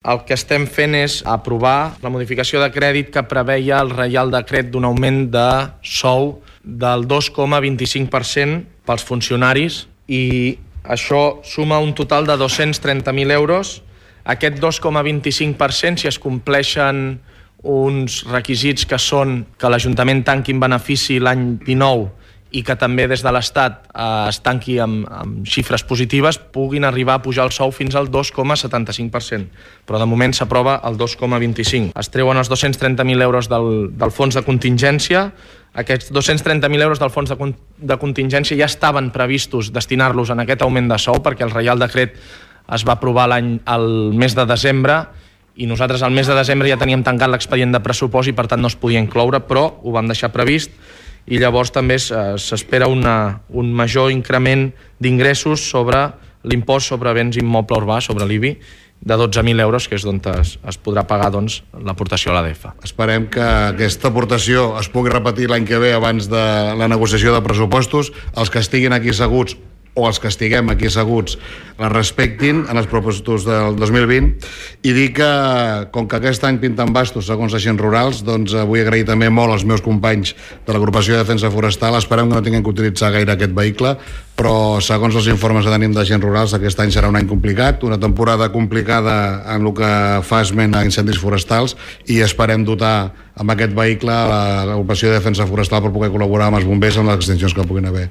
El que estem fent és aprovar la modificació de crèdit que preveia el Reial Decret d'un augment de sou del 2,25% pels funcionaris i això suma un total de 230.000 euros. Aquest 2,25%, si es compleixen uns requisits que són que l'Ajuntament tanqui en benefici l'any 19 i que també des de l'Estat es tanqui amb xifres positives, puguin arribar a pujar el sou fins al 2,75%. Però de moment s'aprova el 2,25%. Es treuen els 230.000 euros del fons de contingència. Aquests 230.000 euros del fons de contingència ja estaven previstos destinar-los en aquest augment de sou perquè el Reial Decret es va aprovar el mes de desembre i nosaltres al mes de desembre ja teníem tancat l'expedient de pressupost i per tant no es podia incloure, però ho vam deixar previst i llavors també s'espera un major increment d'ingressos sobre l'impost sobre béns immoble urbà, sobre l'IBI, de 12.000 euros, que és d'on es podrà pagar l'aportació a l'ADF. Esperem que aquesta aportació es pugui repetir l'any que ve abans de la negociació de pressupostos. Els que estiguin aquí asseguts o els que estiguem aquí asseguts la respectin en els pressupostos del 2020 i dir que, com que aquest any pinten bastos segons agents rurals, doncs vull agrair també molt als meus companys de l'agrupació de defensa forestal. Esperem que no tinguin que utilitzar gaire aquest vehicle, però segons els informes que tenim d'agents rurals aquest any serà un any complicat, una temporada complicada en el que fa esment a incendis forestals i esperem dotar amb aquest vehicle l'agrupació de defensa forestal per poder col·laborar amb els bombers en les extincions que puguin haver.